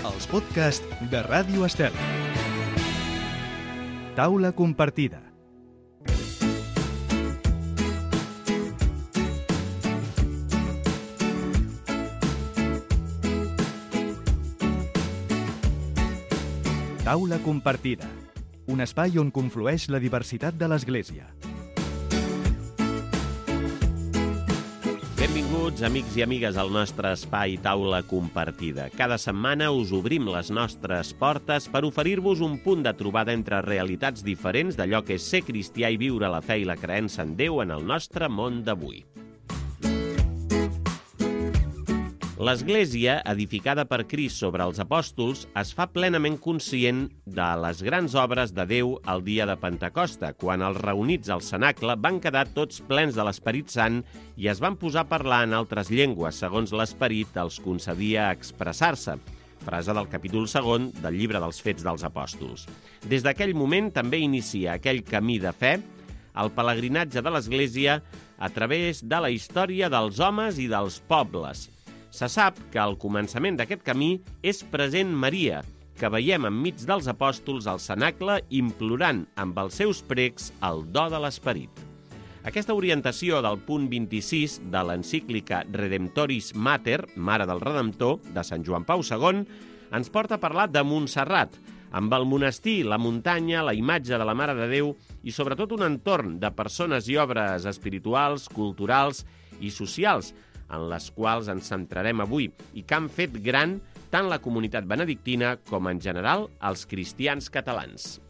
els podcasts de Ràdio Estel. Taula compartida. Taula compartida, un espai on conflueix la diversitat de l'Església. Benvinguts, amics i amigues, al nostre espai Taula Compartida. Cada setmana us obrim les nostres portes per oferir-vos un punt de trobada entre realitats diferents d'allò que és ser cristià i viure la fe i la creença en Déu en el nostre món d'avui. L'Església, edificada per Crist sobre els apòstols, es fa plenament conscient de les grans obres de Déu el dia de Pentecosta, quan els reunits al cenacle van quedar tots plens de l'Esperit Sant i es van posar a parlar en altres llengües, segons l'Esperit els concedia expressar-se. Frase del capítol 2 del llibre dels Fets dels Apòstols. Des d'aquell moment també inicia aquell camí de fe, el pelegrinatge de l'Església a través de la història dels homes i dels pobles. Se sap que al començament d'aquest camí és present Maria, que veiem enmig dels apòstols al cenacle implorant amb els seus precs el do de l'Esperit. Aquesta orientació del punt 26 de l'encíclica Redemptoris Mater, Mare del Redemptor, de Sant Joan Pau II, ens porta a parlar de Montserrat, amb el monestir, la muntanya, la imatge de la Mare de Déu i sobretot un entorn de persones i obres espirituals, culturals i socials, en les quals ens centrarem avui i que han fet gran tant la comunitat benedictina com, en general, els cristians catalans.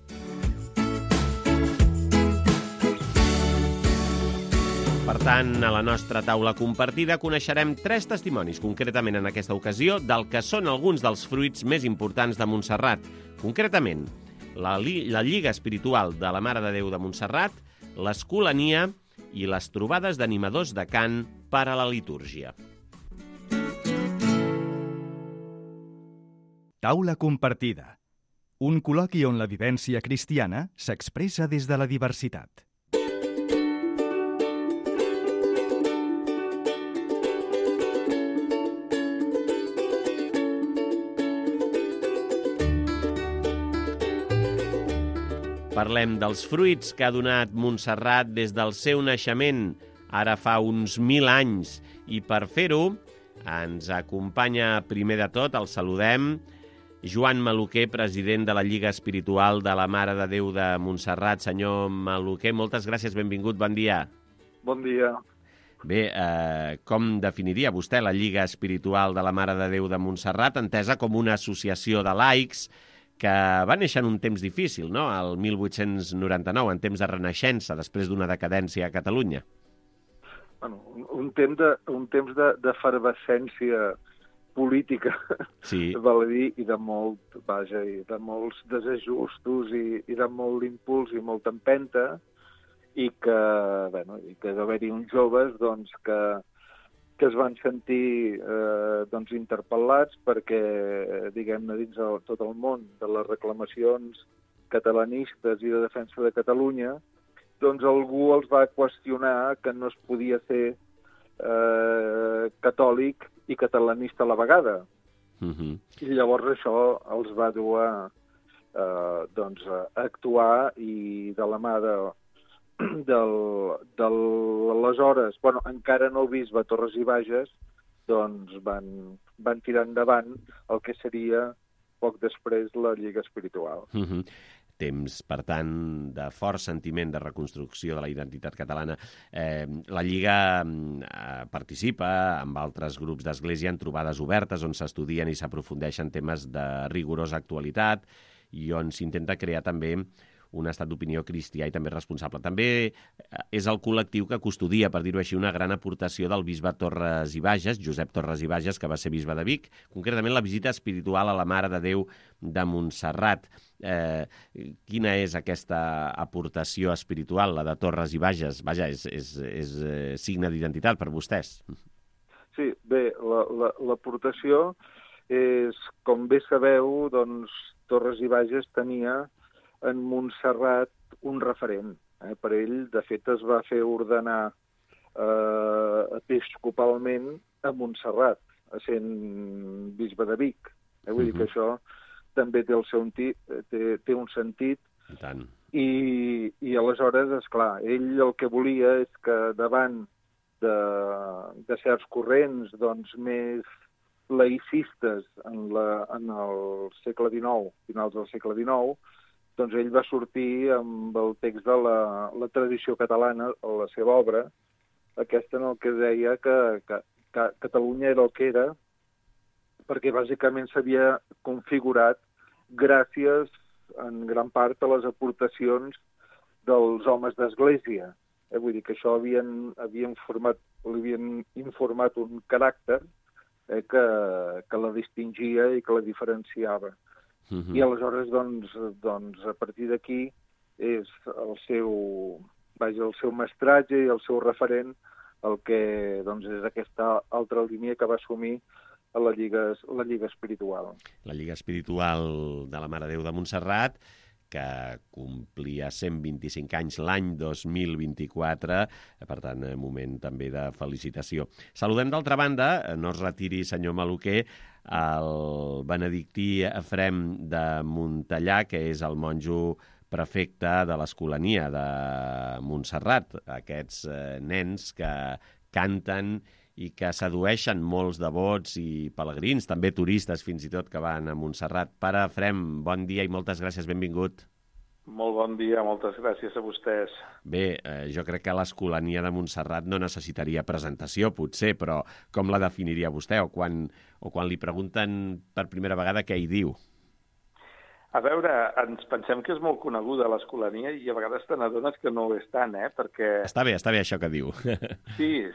Per tant, a la nostra taula compartida coneixerem 3 testimonis, concretament en aquesta ocasió, del que són alguns dels fruits més importants de Montserrat. Concretament, la Lliga Espiritual de la Mare de Déu de Montserrat, l'Escolania i les trobades d'animadors de cant per a la litúrgia. Taula compartida. Un col·loqui on la vivència cristiana s'expressa des de la diversitat. Parlem dels fruits que ha donat Montserrat des del seu naixement, ara fa uns 1000 anys, i per fer-ho ens acompanya primer de tot, el saludem, Joan Maluquer, president de la Lliga Espiritual de la Mare de Déu de Montserrat. Senyor Maluquer, moltes gràcies, benvingut, bon dia. Bon dia. Bé, com definiria vostè la Lliga Espiritual de la Mare de Déu de Montserrat, entesa com una associació de laics que va néixer en un temps difícil, no?, el 1899, en temps de renaixença, després d'una decadència a Catalunya? Bueno, un temps d'efervescència política, sí. Val a dir, i de molts desajustos i de molt impuls i molta empenta, i que d'haver-hi uns joves doncs, que es van sentir interpel·lats perquè, diguem-ne, dins tot el món de les reclamacions catalanistes i de defensa de Catalunya, doncs algú els va qüestionar que no es podia ser catòlic i catalanista a la vegada. I llavors això els va dur a actuar, i de la mà de l'aleshores, encara no el bisbe Torres i Bages, doncs van tirar endavant el que seria poc després la Lliga Espiritual. Temps, per tant, de fort sentiment de reconstrucció de la identitat catalana. La Lliga participa amb altres grups d'església en trobades obertes on s'estudien i s'aprofundeixen temes de rigorosa actualitat i on s'intenta crear també un estat d'opinió cristià i també responsable. També és el col·lectiu que custodia, per dir-ho així, una gran aportació del bisbe Torres i Bages, Josep Torres i Bages, que va ser bisbe de Vic, concretament la visita espiritual a la Mare de Déu de Montserrat. Quina és aquesta aportació espiritual, la de Torres i Bages? Vaja, és signe d'identitat per vostès. Sí, bé, l'aportació és, com bé sabeu, doncs Torres i Bages tenia en Montserrat un referent. Per ell, de fet, es va fer ordenar episcopalment a Montserrat, sent bisbe de Vic. Vull dir que això també té un sentit. I tant. I aleshores, esclar, ell el que volia és que davant de certs corrents doncs, més laïcistes en el segle XIX, finals del segle XIX, doncs ell va sortir amb el text de la tradició catalana, a la seva obra, aquesta en el que deia que Catalunya era el que era, perquè bàsicament s'havia configurat gràcies en gran part a les aportacions dels homes d'església. Vull dir que això havien informat un caràcter que la distingia i que la diferenciava. I aleshores, doncs, a partir d'aquí és el seu mestratge i el seu referent el que doncs, és aquesta altra línia que va assumir a la Lliga Espiritual. La Lliga Espiritual de la Mare de Déu de Montserrat, que complia 125 anys l'any 2024, per tant, moment també de felicitació. Saludem d'altra banda, no es retiri, senyor Maluquer, el benedictí Efrem de Montellà, que és el monjo prefecte de l'Escolania de Montserrat, aquests nens que canten i que sedueixen molts devots i pelegrins, també turistes fins i tot que van a Montserrat. Pare Efrem, bon dia i moltes gràcies, benvingut. Molt bon dia, moltes gràcies a vostès. Bé, jo crec que l'Escolania de Montserrat no necessitaria presentació, potser, però com la definiria vostè? O quan li pregunten per primera vegada què hi diu? A veure, ens pensem que és molt coneguda l'Escolania i a vegades te n'adones que no ho és tant, perquè... Està bé això que diu. Sí,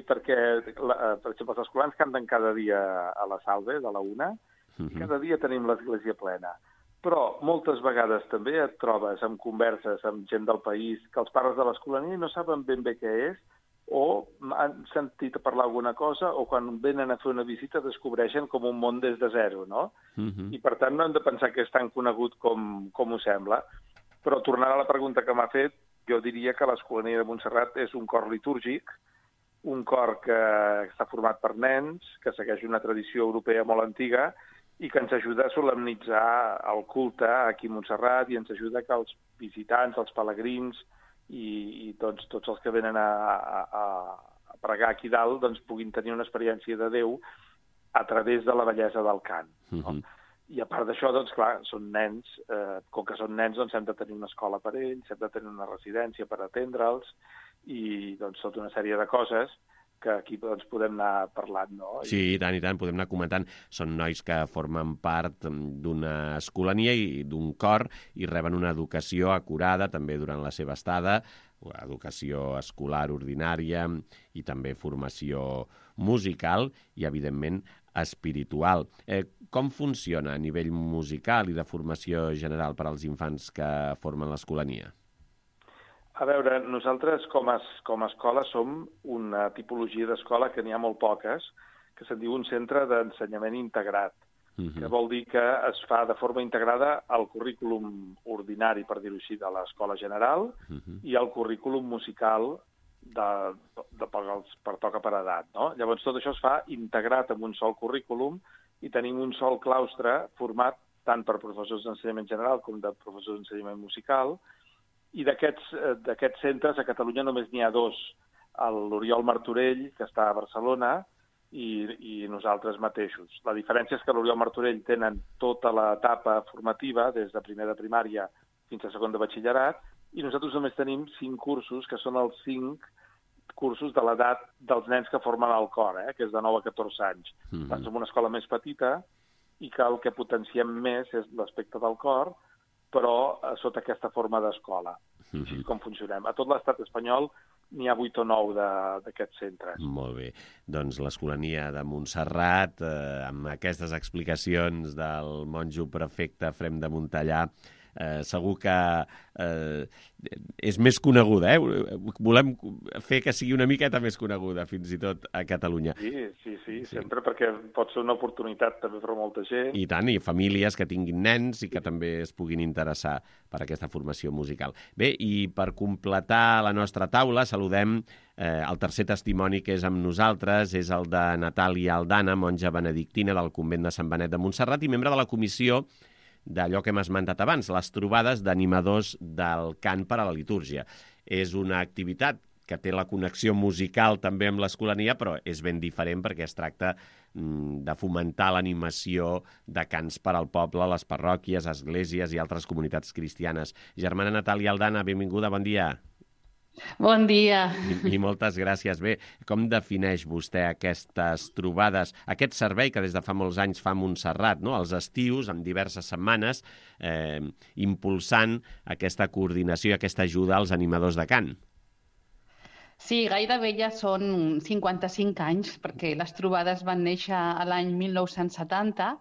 perquè, per exemple, els escolans canten cada dia a la Salve, de la 1, i cada dia tenim l'església plena. Però moltes vegades també et trobes amb converses amb gent del país que els pares de l'Escolania no saben ben bé què és, o han sentit parlar alguna cosa, o quan venen a fer una visita descobreixen com un món des de zero, no? I per tant no hem de pensar que és tan conegut com ho sembla. Però tornant a la pregunta que m'ha fet, jo diria que l'Escolania de Montserrat és un cor litúrgic, un cor que està format per nens, que segueix una tradició europea molt antiga i que ens ajuda a solemnitzar el culte aquí a Montserrat i ens ajuda que els visitants, els pelegrins i tots els que venen a pregar aquí dalt doncs, puguin tenir una experiència de Déu a través de la bellesa del cant. No? I a part d'això, doncs, clar, són nens, com que són nens, doncs hem de tenir una escola per ells, hem de tenir una residència per atendre'ls i doncs tota una sèrie de coses que aquí doncs, podem anar parlant, no? Sí, i tant, podem anar comentant. Són nois que formen part d'una escolania i d'un cor i reben una educació acurada també durant la seva estada, educació escolar ordinària i també formació musical i, evidentment, espiritual. Com funciona a nivell musical i de formació general per als infants que formen l'escolania? A veure, nosaltres com a escola som una tipologia d'escola que n'hi ha molt poques, que se'n diu un centre d'ensenyament integrat, que vol dir que es fa de forma integrada al currículum ordinari, per dir-ho així, de l'escola general i al currículum musical per toca per edat. No? Llavors tot això es fa integrat en un sol currículum i tenim un sol claustre format tant per professors d'ensenyament general com de professors d'ensenyament musical. I d'aquests centres a Catalunya només n'hi ha 2, l'Oriol Martorell, que està a Barcelona, i nosaltres mateixos. La diferència és que l'Oriol Martorell tenen tota l'etapa formativa, des de primer de primària fins a segon de batxillerat, i nosaltres només tenim 5 cursos, que són els 5 cursos de l'edat dels nens que formen el cor, que és de 9 a 14 anys. Som una escola més petita i que el que potenciem més és l'aspecte del cor, però sota aquesta forma d'escola. Així com funcionem. A tot l'estat espanyol n'hi ha 8 o 9 d'aquests centres. Molt bé. Doncs l'Escolania de Montserrat, amb aquestes explicacions del monjo prefecte Efrem de Montellà, segur que és més coneguda, Volem fer que sigui una miqueta més coneguda, fins i tot a Catalunya. Sí, sempre, perquè pot ser una oportunitat també per molta gent. I tant, i famílies que tinguin nens i que també es puguin interessar per aquesta formació musical. Bé, i per completar la nostra taula, saludem el tercer testimoni que és amb nosaltres, és el de Natàlia Aldana, monja benedictina del convent de Sant Benet de Montserrat i membre de la comissió d'allò que hem esmentat abans, les trobades d'animadors del cant per a la litúrgia. És una activitat que té la connexió musical també amb l'Escolania, però és ben diferent perquè es tracta de fomentar l'animació de cants per al poble, les parròquies, esglésies i altres comunitats cristianes. Germana Natàlia Aldana, benvinguda, bon dia. Bon dia. I moltes gràcies. Bé, com defineix vostè aquestes trobades, aquest servei que des de fa molts anys fa Montserrat, no? Els estius, en diverses setmanes, impulsant aquesta coordinació i aquesta ajuda als animadors de cant? Sí, gairebé ja són 55 anys, perquè les trobades van néixer a l'any 1970,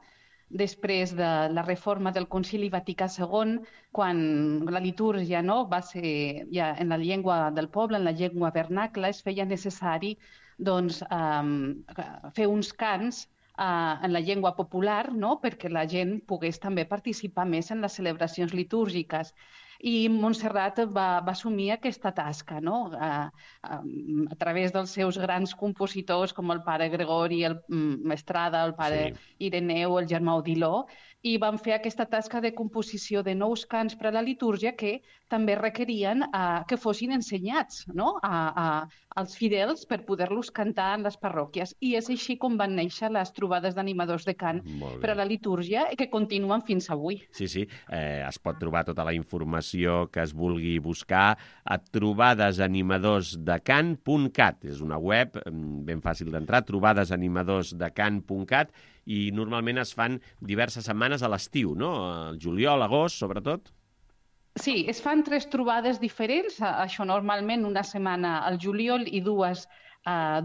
després de la reforma del Concili Vaticà II, quan la litúrgia va ser ja en la llengua del poble, en la llengua vernacla, es feia necessari fer uns cants en la llengua popular, perquè la gent pogués també participar més en les celebracions litúrgiques. I Montserrat va assumir aquesta tasca, a través dels seus grans compositors com el pare Gregori, el Estrada, el pare Ireneu, el germà Odiló, i van fer aquesta tasca de composició de nous cants per a la litúrgia que també requerien que fossin ensenyats als fidels per poder-los cantar en les parròquies. I és així com van néixer les trobades d'animadors de cant per a la litúrgia i que continuen fins avui. Sí, es pot trobar tota la informació que es vulgui buscar a trobadesanimadorsdecant.cat. És una web ben fàcil d'entrar, trobadesanimadorsdecant.cat, i normalment es fan diverses setmanes a l'estiu, no? Al juliol, agost, sobretot. Sí, es fan 3 trobades diferents, això normalment una setmana al juliol i 2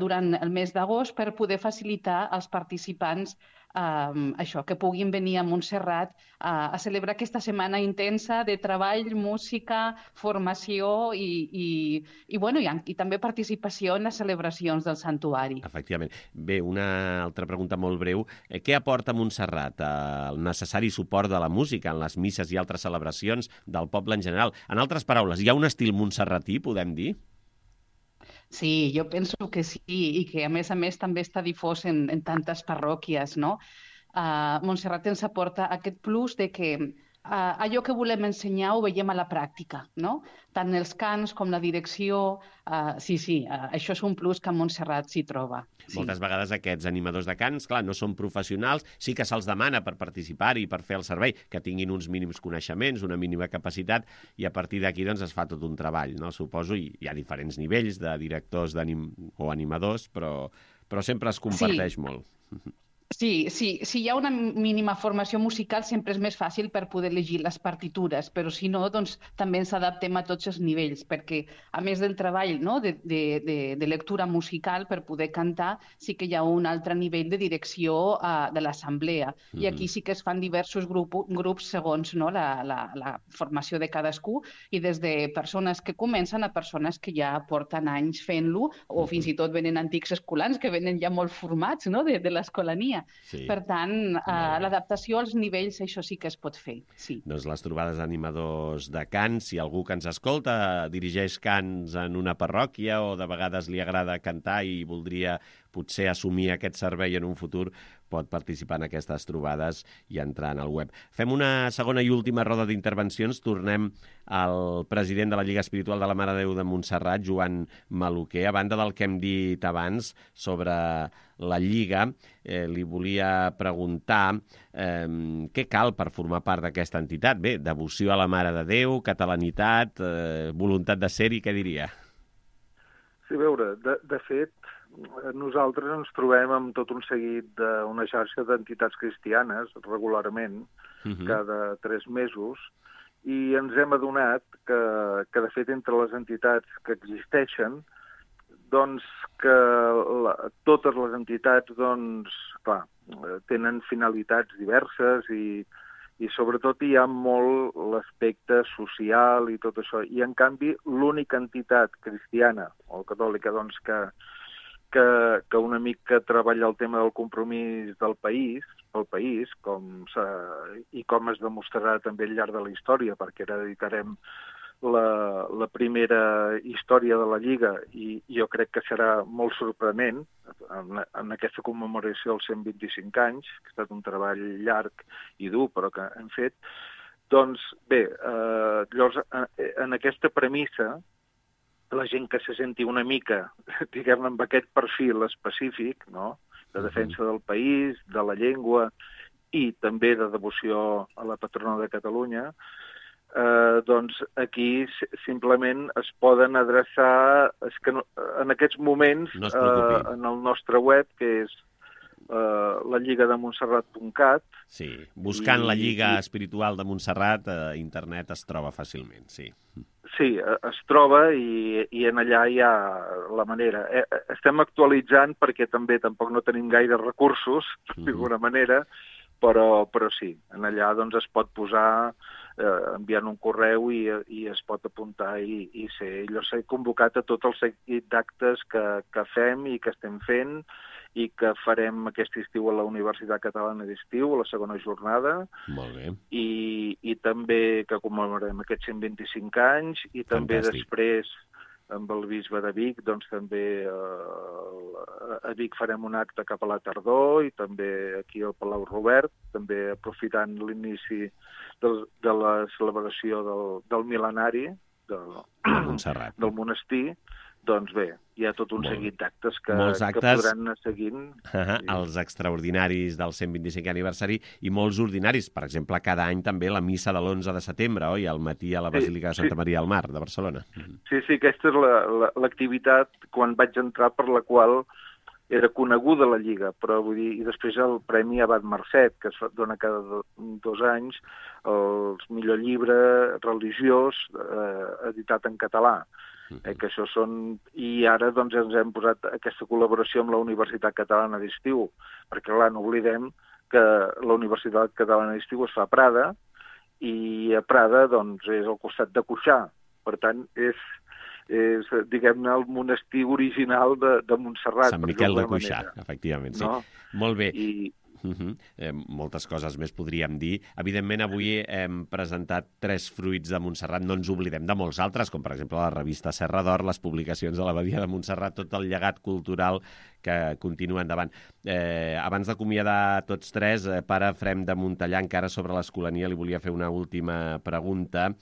durant el mes d'agost per poder facilitar als participants que puguin venir a Montserrat a celebrar aquesta setmana intensa de treball, música, formació i també participació en les celebracions del santuari. Efectivament. Bé, una altra pregunta molt breu. Què aporta Montserrat? El necessari suport de la música en les misses i altres celebracions del poble en general. En altres paraules, hi ha un estil montserratí, podem dir? Sí, jo penso que sí, i que a més també està difós en tantes parròquies, no? Montserrat ens aporta aquest plus de que allò que volem ensenyar ho veiem a la pràctica, no? Tant els cants com la direcció, això és un plus que a Montserrat s'hi troba. Sí. Moltes vegades aquests animadors de cants, clar, no són professionals, sí que se'ls demana per participar-hi, per fer el servei, que tinguin uns mínims coneixements, una mínima capacitat, i a partir d'aquí es fa tot un treball, no? Suposo, i hi ha diferents nivells de directors o animadors, però sempre es comparteix molt. Sí, si hi ha una mínima formació musical sempre és més fàcil per poder llegir les partitures, però si no, doncs també ens adaptem a tots els nivells, perquè a més del treball de lectura musical per poder cantar, sí que hi ha un altre nivell de direcció de l'assemblea. I aquí sí que es fan diversos grups segons la formació de cadascú, i des de persones que comencen a persones que ja porten anys fent-lo, o fins i tot venen antics escolans que venen ja molt formats de l'escolania. Sí. Per tant, l'adaptació als nivells, això sí que es pot fer. Sí. Doncs les trobades d'animadors de cants, si algú que ens escolta dirigeix cants en una parròquia o de vegades li agrada cantar i voldria potser assumir aquest servei en un futur, pot participar en aquestes trobades i entrar en el web. Fem una segona i última roda d'intervencions. Tornem al president de la Lliga Espiritual de la Mare de Déu de Montserrat, Joan Maluquer. A banda del que hem dit abans sobre la Lliga, li volia preguntar què cal per formar part d'aquesta entitat. Bé, devoció a la Mare de Déu, catalanitat, voluntat de ser-hi, què diria? Sí, a veure, de fet, nosaltres ens trobem amb tot un seguit d'una xarxa d'entitats cristianes regularment, cada 3 mesos, i ens hem adonat que de fet, entre les entitats que existeixen, doncs que totes les entitats, doncs, clar, tenen finalitats diverses i i sobretot hi ha molt l'aspecte social i tot això. I, en canvi, l'única entitat cristiana o catòlica doncs, que una mica treballa el tema del compromís del país, pel país, i com es demostrarà també al llarg de la història, perquè ara editarem la primera història de la Lliga i jo crec que serà molt sorprenent en aquesta commemoració dels 125 anys, que ha estat un treball llarg i dur, però que hem fet. Doncs bé, llavors, en aquesta premissa, la gent que se senti una mica, diguem-ne, amb aquest perfil específic, no?, de defensa del país, de la llengua i també de devoció a la patrona de Catalunya, doncs aquí simplement es poden adreçar, en aquests moments, en el nostre web, que és la lligademontserrat.cat. Sí, buscant la Lliga Espiritual de Montserrat, a internet es troba fàcilment, sí. Sí, es troba i en allà hi ha la manera. Estem actualitzant perquè també tampoc no tenim gaire recursos, d'alguna manera, però sí, en allà doncs es pot posar enviant un correu i es pot apuntar i ser. Jo s'he convocat a tot el seguit d'actes que fem i que estem fent i que farem aquest estiu a la Universitat Catalana d'Estiu, a la segona jornada. Molt bé. I també que commemorem aquests 125 anys i també després amb el bisbe de Vic, doncs també a Vic farem un acte cap a la tardor i també aquí al Palau Robert, també aprofitant l'inici de la celebració del mil·lenari del monestir. Doncs bé, hi ha tot un seguit d'actes que podran anar seguint. Els extraordinaris del 125 aniversari i molts ordinaris. Per exemple, cada any també la missa de l'11 de setembre, oi? Al matí a la Basílica de Santa Maria del Mar, de Barcelona. Sí, aquesta és l'activitat quan vaig entrar per la qual era coneguda la Lliga, però vull dir, i després el Premi Abat Marcet, que es dona cada 2 anys, el millor llibre religiós editat en català. Que això són... I ara doncs ens hem posat aquesta col·laboració amb la Universitat Catalana d'Estiu, perquè clar, no oblidem que la Universitat Catalana d'Estiu es fa a Prada i a Prada doncs és al costat de Cuixà. Per tant, és diguem-ne, el monestir original de Montserrat. Sant Miquel de Cuixà, efectivament, sí. Molt bé. Moltes coses més podríem dir. Evidentment, avui hem presentat 3 fruits de Montserrat. No ens oblidem de molts altres, com per exemple la revista Serra d'Or, les publicacions de l'Abadia de Montserrat, tot el llegat cultural que continua endavant. Abans d'acomiadar tots 3, pare Efrem de Montellà, encara sobre l'Escolania, li volia fer una última pregunta.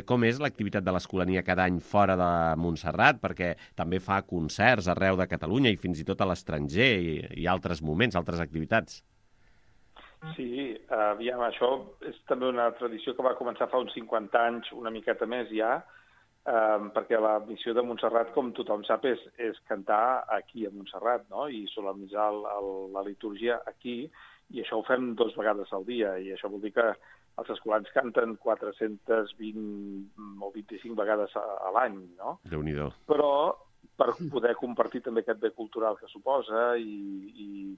Com és l'activitat de l'Escolania cada any fora de Montserrat? Perquè també fa concerts arreu de Catalunya i fins i tot a l'estranger i altres moments, altres activitats. Sí, aviam, això és també una tradició que va començar fa uns 50 anys, una miqueta més ja, perquè la missió de Montserrat, com tothom sap, és cantar aquí a Montserrat, no? I solemnitzar la litúrgia aquí, i això ho fem 2 vegades al dia, i això vol dir que els escolans canten 420 o 25 vegades a l'any, no? Déu-n'hi-do. Però per poder compartir també aquest bé cultural que suposa i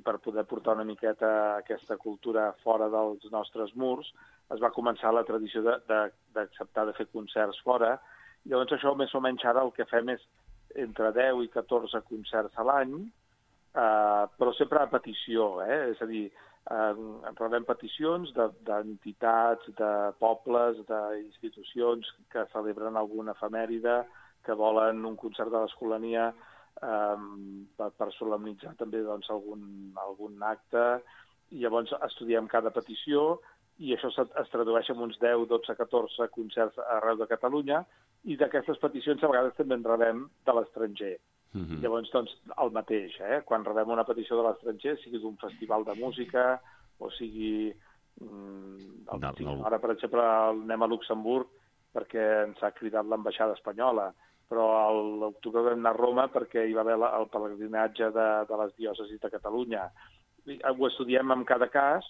per poder portar una miqueta aquesta cultura fora dels nostres murs, es va començar la tradició d'acceptar de fer concerts fora. I llavors això, més o menys, ara el que fem és entre 10 i 14 concerts a l'any, però sempre a petició, És a dir, rebem peticions d'entitats, de pobles, d'institucions que celebren alguna efemèride, que volen un concert de l'Escolania per solemnitzar també doncs, algun acte, i llavors estudiem cada petició i això es tradueix en uns 10, 12, 14 concerts arreu de Catalunya, i d'aquestes peticions a vegades també en rebem de l'estranger. Llavors, doncs, el mateix, quan rebem una petició de l'estranger, sigui d'un festival de música o sigui... Ara, per exemple, anem a Luxemburg perquè ens ha cridat l'ambaixada espanyola, però a l'octubre vam anar a Roma perquè hi va haver el pelegrinatge de les diòcesis de Catalunya. Ho estudiem en cada cas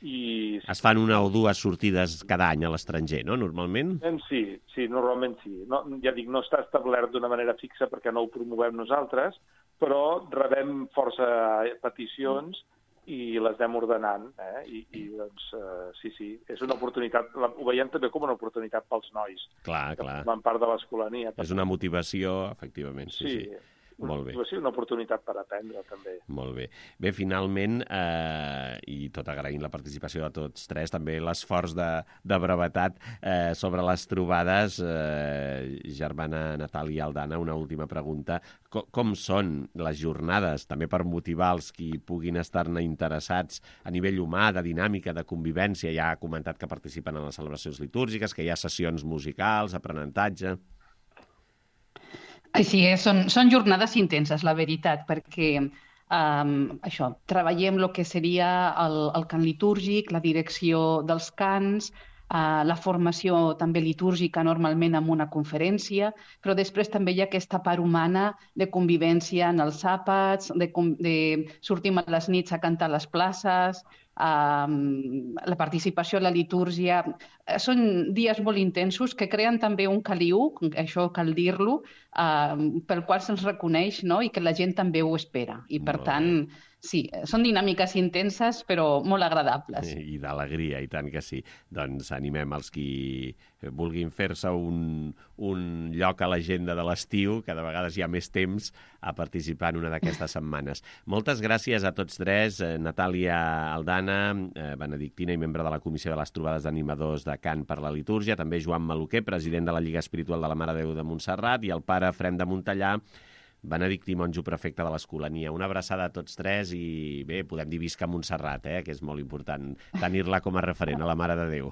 i... Es fan 1 o 2 sortides cada any a l'estranger, no?, normalment? Sí, normalment sí. No, ja dic, no està establert d'una manera fixa perquè no ho promovem nosaltres, però rebem força peticions i les anem ordenant, i doncs, sí, és una oportunitat, ho veiem també com una oportunitat pels nois. Clar. Que formen part de l'Escolania. És una motivació, efectivament, sí. Molt bé. Una oportunitat per aprendre, també. Molt bé. Bé, finalment, i tot agraint la participació de tots tres, també l'esforç de brevetat sobre les trobades, germana Natàlia Aldana, una última pregunta. Com són les jornades, també per motivar els qui puguin estar-ne interessats a nivell humà, de dinàmica, de convivència? Ja ha comentat que participen en les celebracions litúrgiques, que hi ha sessions musicals, aprenentatge... Així és, són jornades intenses, la veritat, perquè treballem el que seria el cant litúrgic, la direcció dels cants, la formació també litúrgica normalment amb una conferència, però després també hi ha aquesta part humana de convivència en els àpats, sortim a les nits a cantar a les places, la participació a la litúrgia. Són dies molt intensos que creen també un caliu, això cal dir-lo, pel qual se'ns reconeix, no? I que la gent també ho espera. I per tant, sí, són dinàmiques intenses però molt agradables. I d'alegria, i tant que sí. Doncs animem els qui vulguin fer-se un lloc a l'agenda de l'estiu, que de vegades hi ha més temps, a participar en una d'aquestes setmanes. Moltes gràcies a tots tres, Natàlia Aldana, benedictina i membre de la Comissió de les Trobades d'Animadors de Cant per la Litúrgia, també Joan Maluquer, president de la Lliga Espiritual de la Mare de Déu de Montserrat, i el pare Efrem de Montellà, benedictí monjo prefecte de l'Escolania. Una abraçada a tots tres i bé, podem dir visca Montserrat, que és molt important tenir-la com a referent a la Mare de Déu.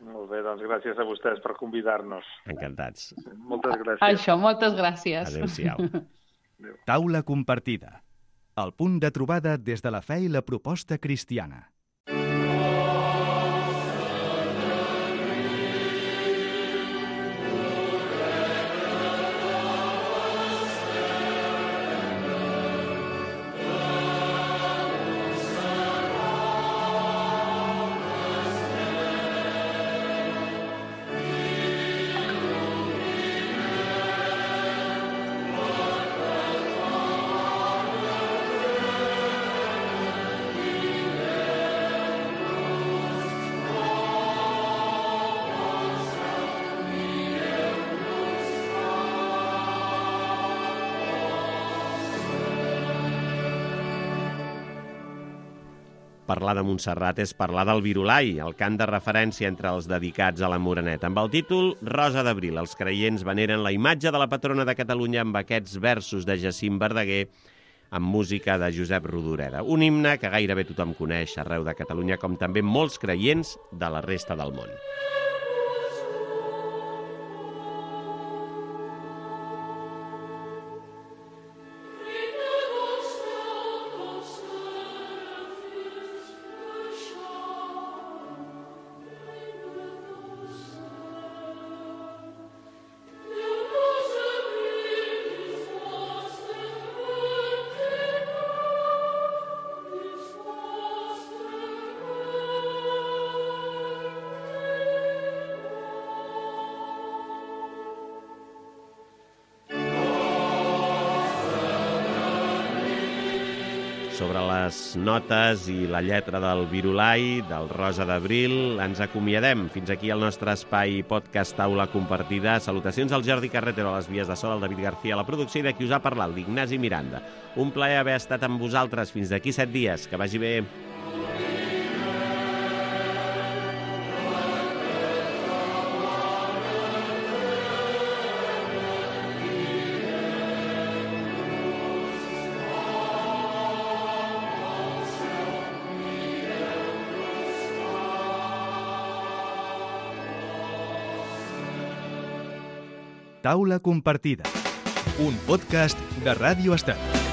Molt bé, doncs gràcies a vostès per convidar-nos. Encantats. Moltes gràcies. Moltes gràcies. Adéu-siau. Taula compartida. El punt de trobada des de la fe i la proposta cristiana. Parlar de Montserrat és parlar del Virolai, el cant de referència entre els dedicats a la Moreneta. Amb el títol Rosa d'Abril, els creients veneren la imatge de la patrona de Catalunya amb aquests versos de Jacint Verdaguer amb música de Josep Rodoreda. Un himne que gairebé tothom coneix arreu de Catalunya, com també molts creients de la resta del món. Sobre les notes i la lletra del Virolai, del Rosa d'Abril, ens acomiadem. Fins aquí el nostre espai podcast Taula Compartida. Salutacions al Jordi Carretero a les vies de so, al David García a la producció i de qui us ha parlat, l'Ignasi Miranda. Un plaer haver estat amb vosaltres fins d'aquí 7 dies. Que vagi bé. Taula compartida, un podcast de Ràdio Estat.